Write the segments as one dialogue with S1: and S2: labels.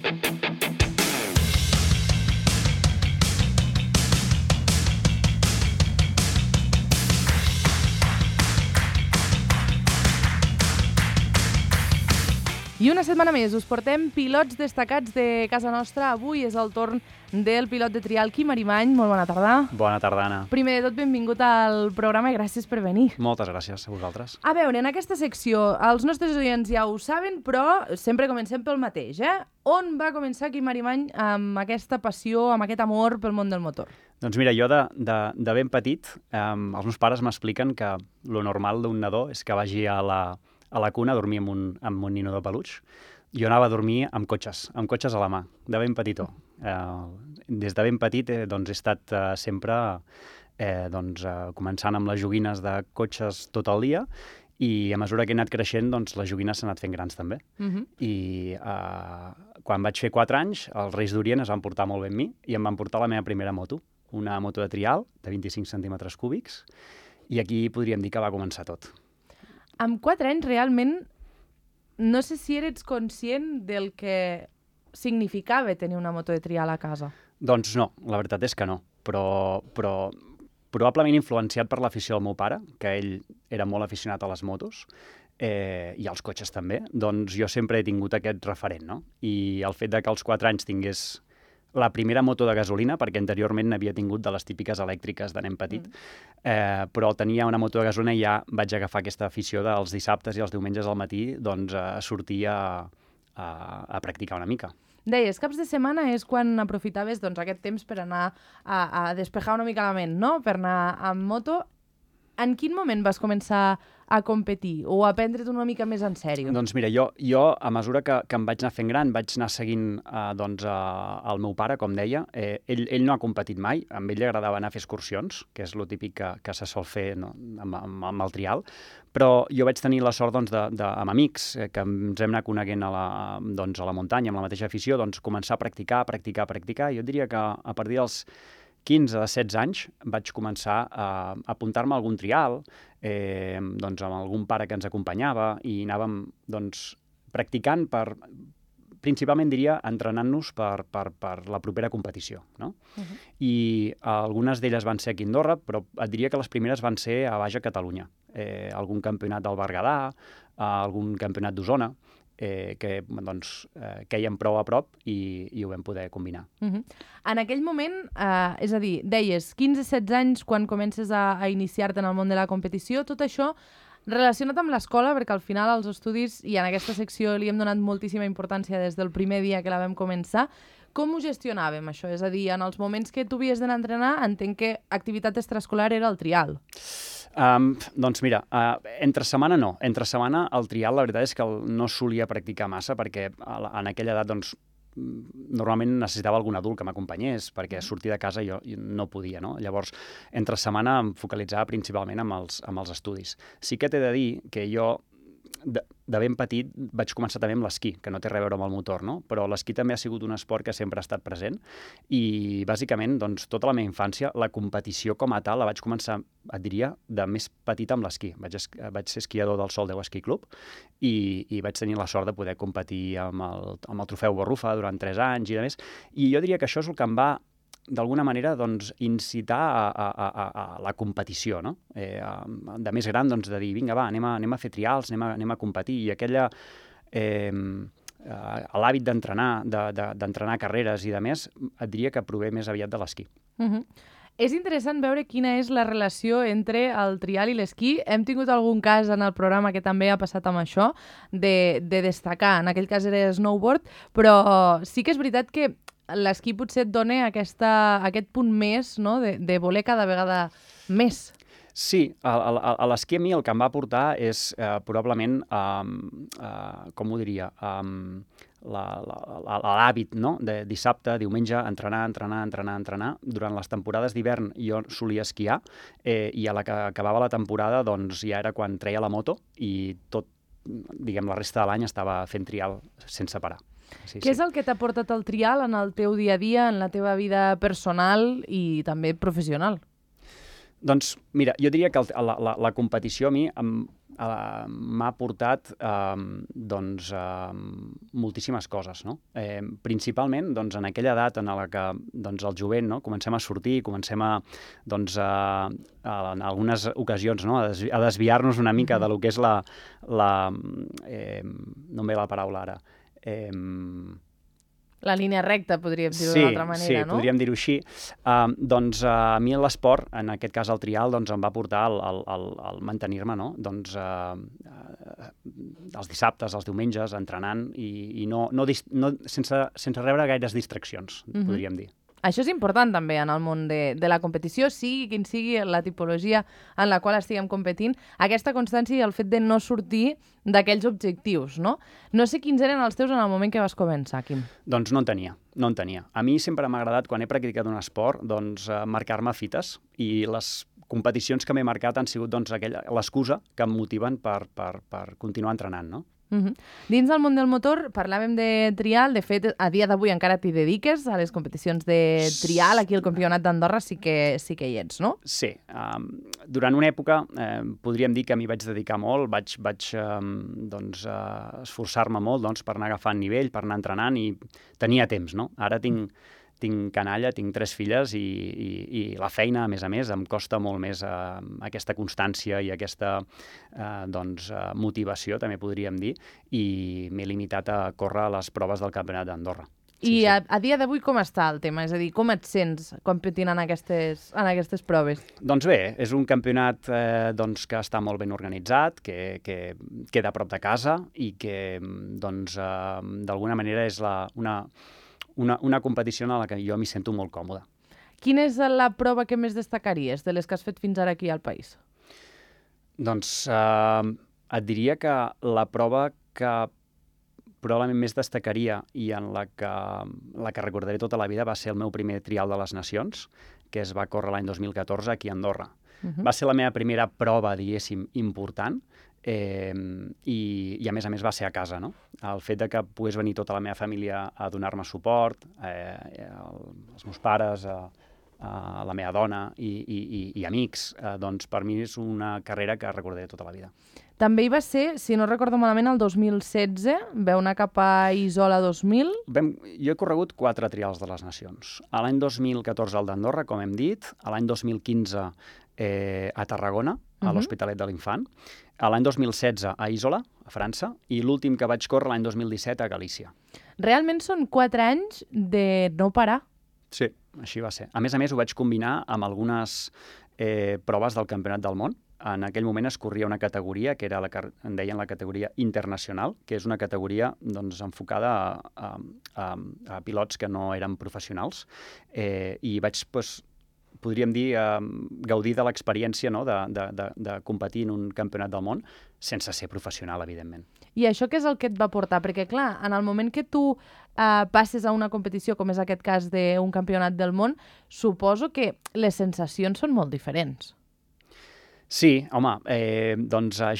S1: I una setmana més us portem pilots destacats de casa nostra. Avui és el torn del pilot de trial Quim Arimany. Molt bona tarda.
S2: Bona tarda, Anna.
S1: Primer de tot, benvingut al programa i gràcies per venir.
S2: Moltes gràcies a vosaltres.
S1: A veure, en aquesta secció, els nostres oients ja ho saben, però sempre comencem pel mateix, On va començar Quim Arimany amb aquesta passió, amb aquest amor pel món del motor?
S2: Doncs mira, jo de ben petit, els meus pares m'expliquen que lo normal d'un nadó és que vagi a la cuna a dormir amb un nino de peluix. Jo anava a dormir amb cotxes a la mà, de ben petitó. Des de ben petit he estat sempre començant amb les joguines de cotxes tot el dia i a mesura que he anat creixent, les joguines s'han anat fent grans també. I quan vaig fer 4 anys, els Reis d'Orient es van portar molt bé amb mi i em van portar la meva primera moto, una moto de trial de 25 centímetres cúbics, i aquí podríem dir que va començar tot.
S1: Amb 4 anys, realment, no sé si eres conscient del que significava tenir una moto de trial a casa.
S2: Doncs no, la veritat és que no, però probablement influenciat per l'afició del meu pare, que ell era molt aficionat a les motos, i als cotxes també, doncs jo sempre he tingut aquest referent, no? I el fet de que als 4 anys tingués la primera moto de gasolina, perquè anteriorment n'havia tingut de les típiques elèctriques de nen petit, però tenia una moto de gasolina i ja vaig agafar aquesta afició dels dissabtes i els diumenges al matí a sortir a practicar una mica.
S1: Deies, caps de setmana és quan aprofitaves aquest temps per anar a despejar una mica la ment, no? Per anar amb moto. En quin moment vas començar a competir o a prendre't una mica més en sèrio?
S2: Doncs mira, jo a mesura que em vaig anar fent gran, vaig anar seguint el meu pare, com deia. Ell no ha competit mai, a ell li agradava anar a fer excursions, que és el típic que se sol fer amb el trial, però jo vaig tenir la sort amb amics que ens hem anat coneguent a la muntanya, amb la mateixa afició, començar a practicar. Jo diria que a partir dels 15 a 16 anys vaig començar a apuntar-me a algun trial, amb algun pare que ens acompanyava i anàvem practicant principalment diria entrenant-nos per la propera competició, no? I algunes d'elles van ser aquí a Andorra, però et diria que les primeres van ser a Baix a Catalunya. Algun campionat del Berguedà, algun campionat d'Osona, que quèiem prou a prop i ho vam poder combinar.
S1: En aquell moment, és a dir, deies 15-16 anys quan comences a iniciar-te en el món de la competició, tot això relacionat amb l'escola, perquè al final els estudis, i en aquesta secció li hem donat moltíssima importància des del primer dia que la vam començar, com ho gestionàvem, això? És a dir, en els moments que tu havies d'anar a entrenar, entenc que activitat extraescolar era el trial.
S2: Doncs mira, entre setmana no. Entre setmana el trial la veritat és que no solia practicar massa perquè en aquella edat normalment necessitava algun adult que m'acompanyés perquè sortir de casa jo no podia, no? Llavors, entre setmana em focalitzava principalment amb els estudis. Sí que t'he de dir que jo de ben petit vaig començar també amb l'esquí, que no té res a veure amb el motor, no? Però l'esquí també ha sigut un esport que sempre ha estat present i, bàsicament, tota la meva infància, la competició com a tal la vaig començar, et diria, de més petita amb l'esquí. Vaig ser esquiador del Sol 10 Esquí Club i vaig tenir la sort de poder competir amb el trofeu Borrufa durant 3 anys i de més. I jo diria que això és el que em va d'alguna manera incitar a la competició, no? De més gran, de dir, vinga, va, anem a fer trials, anem a competir, i l'hàbit d'entrenar carreres i de més, et diria que prové més aviat de l'esquí.
S1: És interessant veure quina és la relació entre el trial i l'esquí. Hem tingut algun cas en el programa que també ha passat amb això, de destacar, en aquell cas era snowboard, però sí que és veritat que l'esquí potser et dona aquest punt més, no?, de voler cada vegada més.
S2: Sí, a l'esquí a mi el que em va aportar és probablement, com ho diria, l'hàbit, no?, de dissabte, diumenge, entrenar. Durant les temporades d'hivern jo solia esquiar i a la que acabava la temporada ja era quan treia la moto i tot, diguem, la resta de l'any estava fent trial sense parar.
S1: Què és el que t'ha portat el trial en el teu dia a dia, en la teva vida personal i també professional?
S2: Doncs, mira, jo diria que la competició a mi m'ha portat doncs, moltíssimes coses, no? Principalment doncs, en aquella edat en la que doncs, el jovent, no? Comencem a sortir, comencem a, doncs, en algunes ocasions, no? a desviar-nos una mica de lo que és la no em ve la paraula ara.
S1: La línia recta, podríem dir-ho d'una altra manera, no?
S2: Sí, podríem dir-ho així. Doncs a mi l'esport, en aquest cas el trial, doncs em va portar al mantenir-me, no? Doncs els dissabtes, els diumenges, entrenant i sense rebre gaires distraccions, podríem dir.
S1: Això és important també en el món de la competició, sigui quin sigui la tipologia en la qual estiguem competint, aquesta constància i el fet de no sortir d'aquells objectius, no? No sé quins eren els teus en el moment que vas començar, Quim.
S2: Doncs no en tenia. A mi sempre m'ha agradat, quan he practicat un esport, doncs marcar-me fites, i les competicions que m'he marcat han sigut doncs, l'excusa que em motiven per continuar entrenant, no?
S1: Dins del món del motor parlàvem de trial, de fet a dia d'avui encara t'hi dediques a les competicions de trial, aquí al Campionat d'Andorra sí que hi ets, no?
S2: Sí, durant una època podríem dir que m'hi vaig dedicar molt, vaig esforçar-me molt doncs, per anar agafant nivell, per anar entrenant, i tenia temps, no? Ara tinc canalla, tinc 3 filles i la feina, a més, em costa molt més aquesta constància i aquesta motivació, també podríem dir, i m'he limitat a córrer les proves del Campionat d'Andorra.
S1: I a dia d'avui com està el tema? És a dir, com et sents competint en aquestes proves?
S2: Doncs bé, és un campionat que està molt ben organitzat, que queda a prop de casa i que d'alguna manera és una competició en la que jo m'hi sento molt còmode.
S1: Quina és la prova que més destacaries de les que has fet fins ara aquí al país?
S2: Doncs et diria que la prova que probablement més destacaria i en la que recordaré tota la vida va ser el meu primer trial de les Nacions, que es va córrer l'any 2014 aquí a Andorra. Va ser la meva primera prova, diguéssim, important, i a més va ser a casa, no? El fet de que pogués venir tota la meva família a donar-me suport, els meus pares, la meva dona i amics, doncs per mi és una carrera que recordaré tota la vida.
S1: També hi va ser, si no recordo malament, el 2016, vau anar cap a Isola 2000.
S2: Jo he corregut 4 trials de les Nacions. A l'any 2014 al d'Andorra, com hem dit, a l'any 2015 a Tarragona, a l'Hospitalet de l'Infant, a l'any 2016 a Isola, a França, i l'últim que vaig córrer l'any 2017 a Galícia.
S1: Realment són 4 anys de no parar.
S2: Sí, així va ser. A més, ho vaig combinar amb algunes proves del Campionat del Món. En aquell moment es corria una categoria que era en deien la categoria internacional, que és una categoria enfocada a pilots que no eren professionals, i vaig, podríem dir, gaudir de l'experiència, no? de competir en un campionat del món sense ser professional, evidentment.
S1: I això què és el que et va portar? Perquè, clar, en el moment que tu passes a una competició, com és aquest cas d'un campionat del món, suposo que les sensacions són molt diferents.
S2: Sí, home,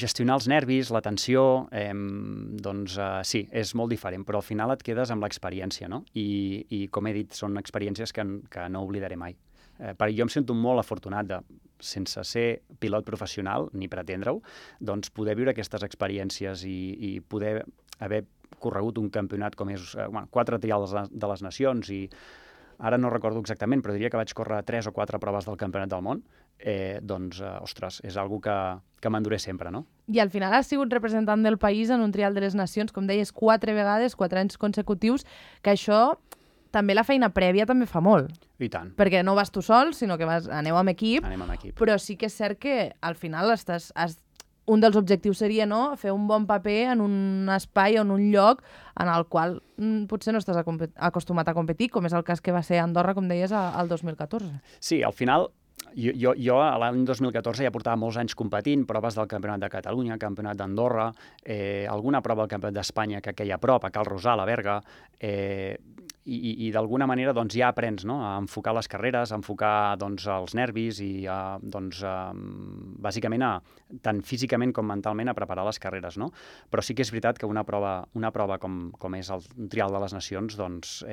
S2: gestionar els nervis, la tensió, sí, és molt diferent, però al final et quedes amb l'experiència, no? I com he dit, són experiències que no oblidaré mai. Perquè jo em sento molt afortunat sense ser pilot professional, ni pretendre-ho, doncs poder viure aquestes experiències i poder haver corregut un campionat com és 4 trials de les Nacions, i ara no recordo exactament, però diria que vaig córrer 3 o 4 proves del Campionat del Món, ostres, és algo que m'enduré sempre, no?
S1: I al final has sigut representant del país en un trial de les Nacions, com deies, 4 vegades, 4 anys consecutius, que això també la feina prèvia també fa molt.
S2: I tant.
S1: Perquè no vas tu sol, sinó que aneu amb equip.
S2: Anem amb equip.
S1: Però sí que és cert que al final un dels objectius seria fer un bon paper en un espai o en un lloc en el qual potser no estàs acostumat a competir, com és el cas que va ser a Andorra, com deies, al 2014.
S2: Sí, al final, jo a l'any 2014 ja portava molts anys competint, proves del Campionat de Catalunya, Campionat d'Andorra, alguna prova del Campionat d'Espanya que queia a prop, a Cal Rosal, a Berga, i d'alguna manera doncs, ja aprens, no?, a enfocar les carreres, a enfocar doncs, els nervis i bàsicament tant físicament com mentalment a preparar les carreres. No? Però sí que és veritat que una prova com és el Trial de les Nacions doncs,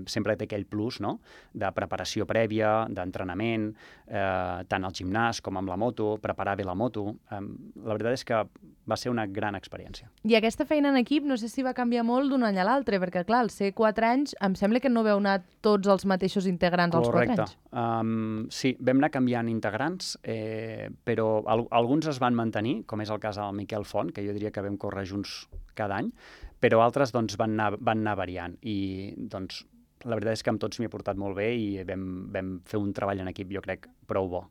S2: sempre té aquell plus, no?, de preparació prèvia, d'entrenament, tant al gimnàs com amb la moto, preparar bé la moto. La veritat és que va ser una gran experiència.
S1: I aquesta feina en equip no sé si va canviar molt d'un any a l'altre, perquè clar, al ser 4 anys em sembla que no veu anar tots els mateixos integrants als 4 anys.
S2: Sí, vam anar canviant integrants, però alguns es van mantenir, com és el cas del Miquel Font, que jo diria que vam córrer junts cada any, però altres doncs, van anar variant. I doncs, la veritat és que amb tots m'hi he portat molt bé i vam fer un treball en equip, jo crec, prou bo.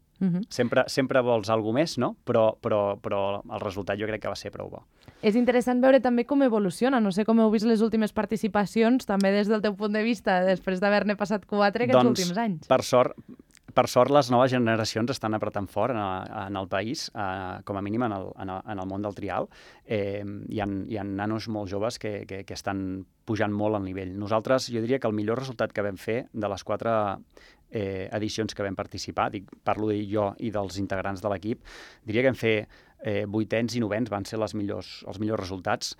S2: Sempre vols alguna més, no? Però el resultat jo crec que va ser prou bo.
S1: És interessant veure també com evoluciona. No sé com heu vist les últimes participacions, també des del teu punt de vista, després d'haver-ne passat 4 aquests últims anys.
S2: Per sort, les noves generacions estan apretant fort en el país, com a mínim en el món del trial. Hi ha nanos molt joves que estan pujant molt al nivell. Nosaltres, jo diria que el millor resultat que vam fer de les 4 edicions que vam participar, parlo jo i dels integrants de l'equip, diria que vam fer 8ens i 9ens, van ser els millors resultats,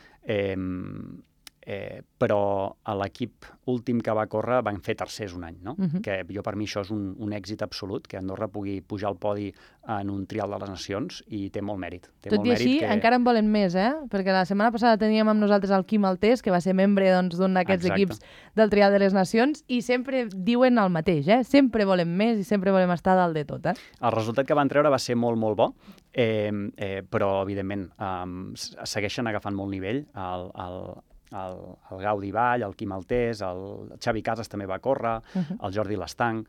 S2: però a l'equip últim que va córrer van fer tercers un any, no? Que per mi això és un èxit absolut, que Andorra pugui pujar al podi en un Trial de les Nacions i té molt mèrit.
S1: Tot i així, encara en volen més, perquè la setmana passada teníem amb nosaltres el Quim Altés, que va ser membre d'un d'aquests equips del Trial de les Nacions, i sempre diuen el mateix, sempre volem més i sempre volem estar dalt de tot.
S2: El resultat que van treure va ser molt, molt bo, però, evidentment, segueixen agafant molt nivell. El Gaudi Vall, el Quim Altés, el Xavi Casas també va córrer, el Jordi Lestanc,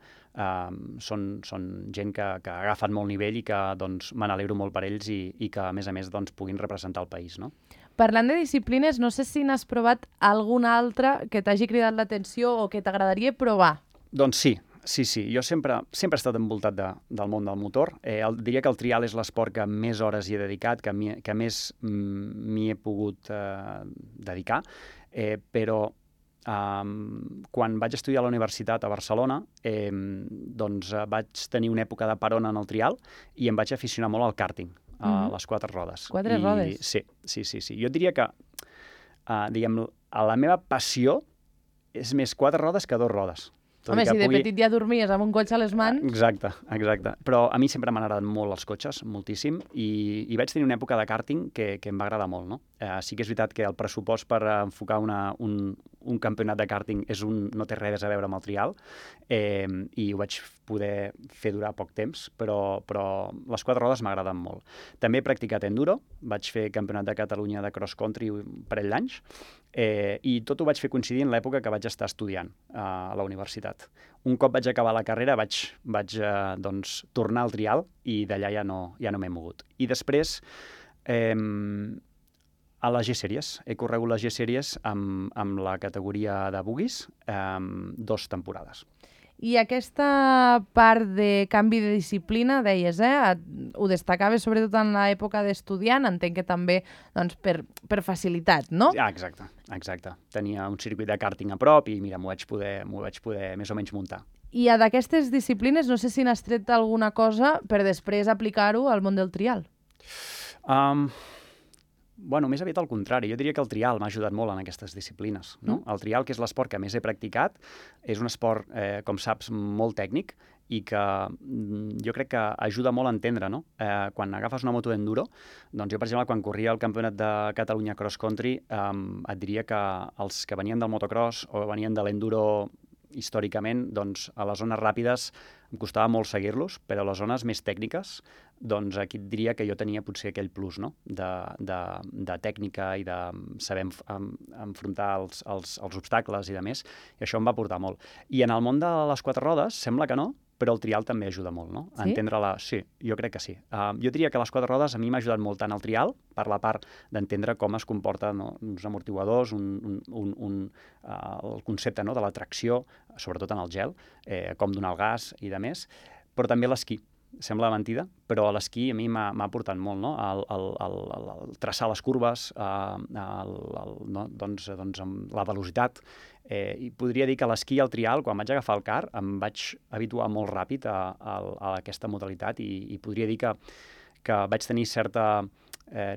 S2: són gent que ha agafat molt nivell i que doncs, me n'alegro molt per ells i que, a més, doncs, puguin representar el país. No?
S1: Parlant de disciplines, no sé si n'has provat alguna altra que t'hagi cridat l'atenció o que t'agradaria provar.
S2: Doncs sí. Jo sempre he estat envoltat del món del motor. Diria que el trial és l'esport que més hores hi he dedicat, que més m'hi he pogut dedicar, però quan vaig estudiar a la universitat a Barcelona doncs vaig tenir una època de parona en el trial i em vaig aficionar molt al kàrting, a les 4 rodes.
S1: 4 rodes?
S2: Sí. Jo diria que la meva passió és més 4 rodes que 2 rodes.
S1: Home, si de petit ja dormies amb un cotxe a les mans...
S2: Exacte. Però a mi sempre m'han agradat molt els cotxes, moltíssim, i vaig tenir una època de kàrting que em va agradar molt, no? Sí que és veritat que el pressupost per enfocar un campionat de kàrting no té res a veure amb el trial, i ho vaig poder fer durar poc temps, però les 4 rodes m'agraden molt. També he practicat enduro, vaig fer campionat de Catalunya de cross country un parell d'anys, i tot ho vaig fer coincidir en l'època que vaig estar estudiant a la universitat. Un cop vaig acabar la carrera vaig doncs, tornar al trial i d'allà ja no m'he mogut. I després a les G-Series. He corregut les G-Series amb la categoria de buggies 2 temporades.
S1: I aquesta part de canvi de disciplina, deies, ho destacaves sobretot en l'època d'estudiant, entenc que també doncs, per facilitat, no?
S2: Exacte. Tenia un circuit de kàrting a prop i mira, m'ho vaig poder més o menys muntar.
S1: I d'aquestes disciplines no sé si n'has tret alguna cosa per després aplicar-ho al món del trial.
S2: Més aviat al contrari. Jo diria que el trial m'ha ajudat molt en aquestes disciplines. No? El trial, que és l'esport que més he practicat, és un esport, com saps, molt tècnic i que jo crec que ajuda molt a entendre. No? Quan agafes una moto d'enduro, doncs jo, per exemple, quan corria el campionat de Catalunya cross country, et diria que els que venien del motocross o venien de l'enduro històricament, doncs a les zones ràpides em costava molt seguir-los, però a les zones més tècniques, doncs aquí et diria que jo tenia potser aquell plus, no? de tècnica i de saber enfrontar els obstacles i de més, i això em va portar molt. I en el món de les 4 rodes, sembla que no, però el trial també ajuda molt, no?
S1: Sí?
S2: Sí, jo crec que sí. Jo diria que les 4 rodes a mi m'ha ajudat molt tant el trial, per la part d'entendre com es comporten uns amortiguadors, el concepte de la tracció, sobretot en el gel, com donar el gas i de més, però també l'esquí, sembla mentida, però l'esquí a mi m'ha aportat molt, no? El traçar les curves, no? doncs amb la velocitat. I podria dir que l'esquí i el trial, quan vaig agafar el car, em vaig habituar molt ràpid a aquesta modalitat i podria dir que vaig tenir certa,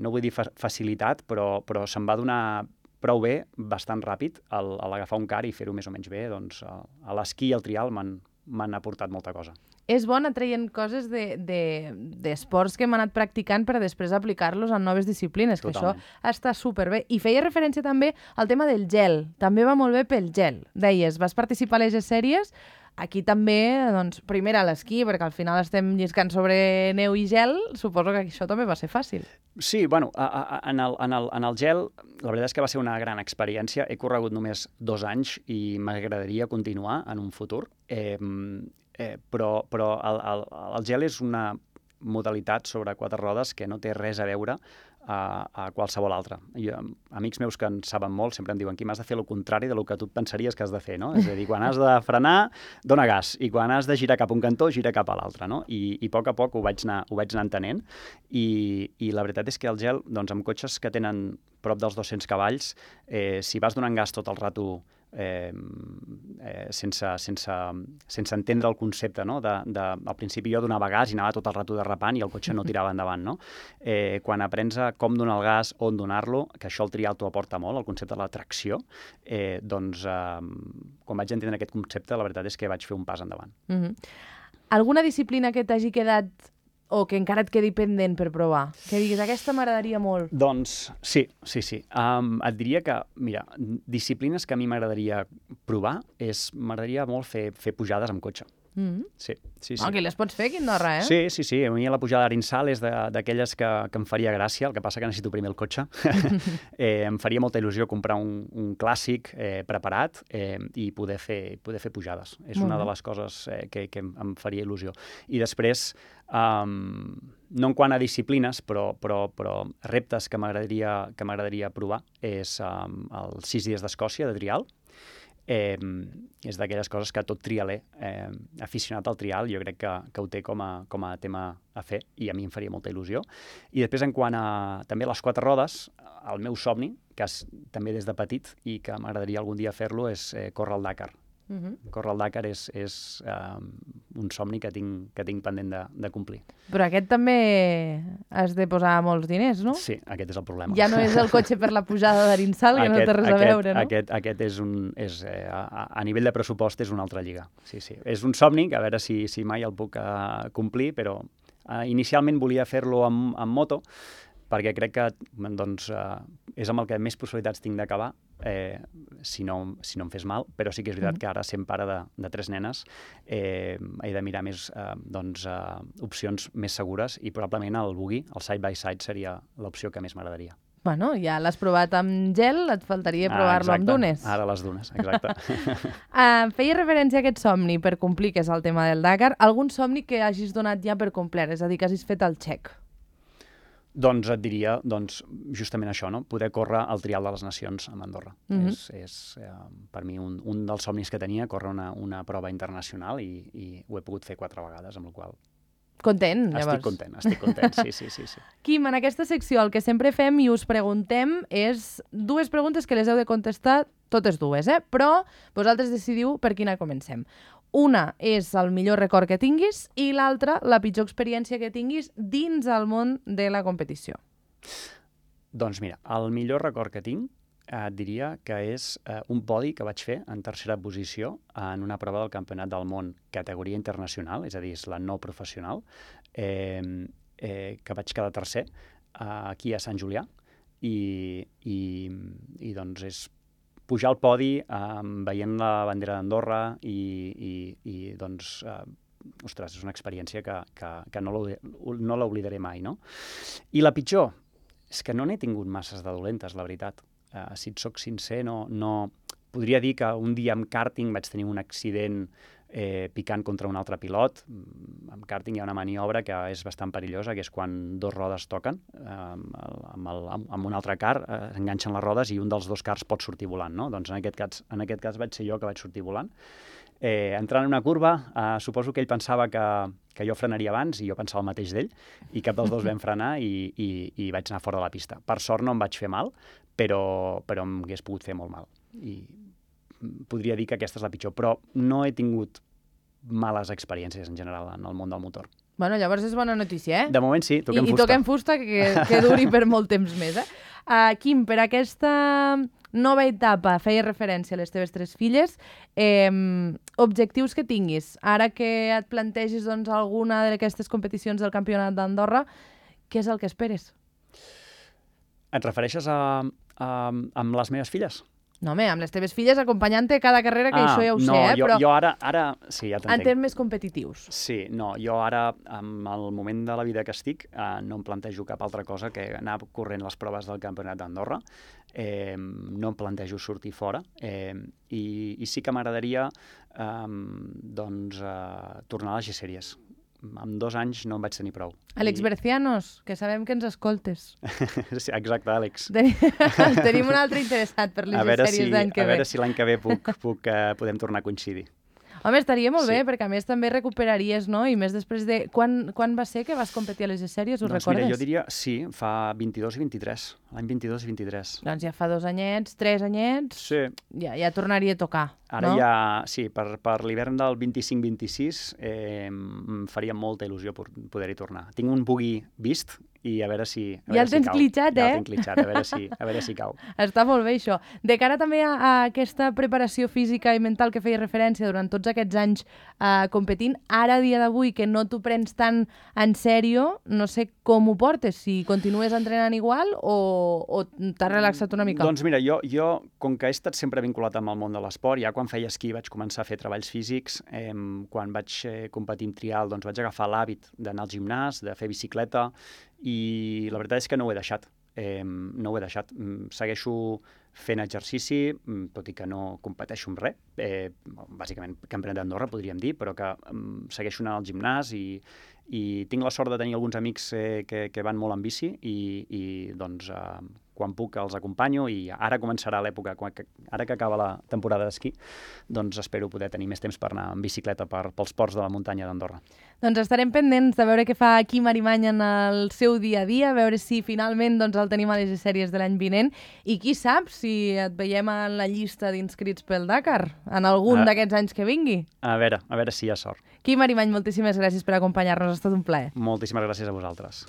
S2: no vull dir facilitat, però se'm va donar prou bé, bastant ràpid, a l'agafar un car i fer-ho més o menys bé. Doncs a l'esquí i el trial m'han aportat molta cosa.
S1: És bo anar traient coses d'esports que hem anat practicant per després aplicar-los en noves disciplines, que
S2: Totalment.
S1: això està superbé. I feia referència també al tema del gel. També va molt bé pel gel. Deies, vas participar a les sèries. Aquí també, doncs, primer a l'esquí, perquè al final estem lliscant sobre neu i gel, suposo que això també va ser fàcil.
S2: Sí, bueno, en el gel, la veritat és que va ser una gran experiència. He corregut només 2 anys i m'agradaria continuar en un futur. Però el gel és una modalitat sobre 4 rodes que no té res a veure a qualsevol altra. Amics meus que en saben molt sempre em diuen que m'has de fer el contrari del que tu et pensaries que has de fer, no? És a dir, quan has de frenar, dona gas, i quan has de girar cap a un cantó, gira cap a l'altre, no? I a poc ho vaig anar entenent, i la veritat és que el gel, doncs, amb cotxes que tenen prop dels 200 cavalls, si vas donant gas tot el rato sense entendre el concepte, no? Al principi jo donava gas i anava tot el rato derrapant i el cotxe no tirava endavant, no? Quan aprens a com donar el gas, on donar-lo, que això el trial t'ho aporta molt, el concepte de la tracció, doncs quan vaig entendre aquest concepte, la veritat és que vaig fer un pas endavant.
S1: Alguna disciplina que t'hagi quedat o que encara et quedi pendent per provar? Que diguis, aquesta m'agradaria molt.
S2: Doncs sí. Et diria que, mira, disciplines que a mi m'agradaria provar m'agradaria molt fer pujades amb cotxe. Sí.
S1: Que les pots fer aquí a Andorra,
S2: Sí. A mi la pujada d'Arinsal és d'aquelles que em faria gràcia, el que passa que necessito primer el cotxe. Em faria molta il·lusió comprar un clàssic preparat i poder fer pujades. És una de les coses que em faria il·lusió. I després, no en quant a disciplines, però reptes que m'agradaria provar és els 6 dies d'Escòcia de trial. És d'aquelles coses que tot trialer aficionat al trial jo crec que ho té com a tema a fer, i a mi em faria molta il·lusió. I després, en quant a també les 4 rodes, el meu somni, que és també des de petit i que m'agradaria algun dia fer-lo, és córrer el Dakar. Córrer el Dakar és un somni que tinc pendent de complir.
S1: Però aquest també has de posar molts diners, no?
S2: Sí, aquest és el problema.
S1: Ja no és el cotxe per la pujada d'Arinsal, que no té res a veure, no?
S2: Aquest a nivell de pressupost és una altra lliga. Sí. És un somni que a veure si mai el puc complir, però inicialment volia fer-lo amb moto, perquè crec que és amb el que més possibilitats tinc d'acabar, si no em fes mal, però sí que és veritat que ara, sent pare de 3 nenes, he de mirar més opcions més segures, i probablement el buggy, el side-by-side, seria l'opció que més m'agradaria.
S1: Bueno, ja l'has provat amb gel, et faltaria provar-lo amb dunes.
S2: Ara les dunes, exacte.
S1: Feia referència a aquest somni per complir, que és el tema del Dakar. Algun somni que hagis donat ja per complet, és a dir, que hagis fet el check?
S2: Doncs et diria justament això, no? Poder córrer el Trial de les Nacions a Andorra. És per mi un dels somnis que tenia, córrer una prova internacional, i ho he pogut fer 4 vegades, amb la qual cosa...
S1: Content, llavors.
S2: Estic content, sí.
S1: Quim, en aquesta secció el que sempre fem i us preguntem és 2 preguntes que les heu de contestar totes dues, però vosaltres decidiu per quina comencem. Una és el millor record que tinguis i l'altra la pitjor experiència que tinguis dins el món de la competició.
S2: Doncs mira, el millor record que tinc et diria que és un podi que vaig fer en 3a posició en una prova del Campionat del Món categoria internacional, és a dir, és la no professional, que vaig quedar 3è aquí a Sant Julià, i doncs és pujar al podi veient la bandera d'Andorra i doncs, ostres, és una experiència que no l'oblidaré mai, no? I la pitjor és que no n'he tingut masses de dolentes, la veritat. Si et soc sincer, no... Podria dir que un dia amb kàrting vaig tenir un accident picant contra un altre pilot. Amb karting hi ha una maniobra que és bastant perillosa, que és quan dos rodes toquen amb un altre car, s'enganxen les rodes i un dels dos cars pot sortir volant, no? Doncs en aquest cas vaig ser jo que vaig sortir volant. Entrant en una curva, suposo que ell pensava que jo frenaria abans i jo pensava el mateix d'ell, i cap dels dos vam frenar i vaig anar fora de la pista. Per sort no em vaig fer mal, però em hagués pogut fer molt mal. I podria dir que aquesta és la pitjor, però no he tingut males experiències en general en el món del motor.
S1: Bueno, llavors és bona notícia,
S2: De moment sí, toquem fusta.
S1: I toquem fusta que duri per molt temps més, Quim, per aquesta nova etapa, feia referència a les teves 3 filles, objectius que tinguis. Ara que et plantegis alguna d'aquestes competicions del Campionat d'Andorra, què és el que esperes?
S2: Et refereixes amb les meves filles?
S1: No, home, amb les teves filles acompanyant-te cada carrera, que això ja ho sé, però...
S2: Jo ara... Sí, ja t'entenc.
S1: En termes competitius.
S2: Sí, no, jo ara, en el moment de la vida que estic, no em plantejo cap altra cosa que anar corrent les proves del Campionat d'Andorra. No em plantejo sortir fora. I sí que m'agradaria tornar a les G-Sèries. En 2 anys no em vaig tenir prou.
S1: Àlex Bercianos, que sabem que ens escoltes.
S2: Sí, exacte, Àlex.
S1: Tenim un altre interessat per les sèries d'any que ve.
S2: A veure si l'any que ve podem tornar a coincidir.
S1: Home, estaria molt bé, perquè a més també recuperaries, no? I més després de... Quan va ser que vas competir a les sèries, ho recordes?
S2: Mira, jo diria, sí, fa 22 i 23. L'any 22 i 23.
S1: Doncs ja fa 2 anyets, 3 anyets...
S2: Sí.
S1: Ja tornaria a tocar,
S2: Ara
S1: no?
S2: ja, sí, per l'hivern del 25-26 em faria molta il·lusió poder-hi tornar. Tinc un bugui vist i a veure si cau.
S1: Ja el tens clitxat,
S2: Ja el tinc clitxat, a veure si cau.
S1: Està molt bé, això. De cara també a aquesta preparació física i mental que feia referència durant tots aquests anys competint, ara, a dia d'avui, que no t'ho prens tan en sèrio, no sé com ho portes, si continues entrenant igual o t'has relaxat una mica?
S2: Doncs mira, jo, com que he estat sempre vinculat amb el món de l'esport, ja quan feia esquí vaig començar a fer treballs físics, quan vaig competir en trial doncs vaig agafar l'hàbit d'anar al gimnàs, de fer bicicleta, i la veritat és que no ho he deixat. No ho he deixat. Segueixo fent exercici, tot i que no competeixo amb res. Bàsicament, Campionat d'Andorra, podríem dir, però que segueixo anant al gimnàs i tinc la sort de tenir alguns amics que van molt en bici i doncs quan puc els acompanyo i ara començarà l'època, ara que acaba la temporada d'esquí, doncs espero poder tenir més temps per anar en bicicleta pels ports de la muntanya d'Andorra.
S1: Doncs estarem pendents de veure què fa Quim Arimany en el seu dia a dia, a veure si finalment el tenim a les sèries de l'any vinent i qui sap si et veiem en la llista d'inscrits pel Dakar en algun d'aquests anys que vingui.
S2: A veure si hi ha sort.
S1: Quim Arimany, moltíssimes gràcies per acompanyar-nos, ha estat un plaer.
S2: Moltíssimes gràcies a vosaltres.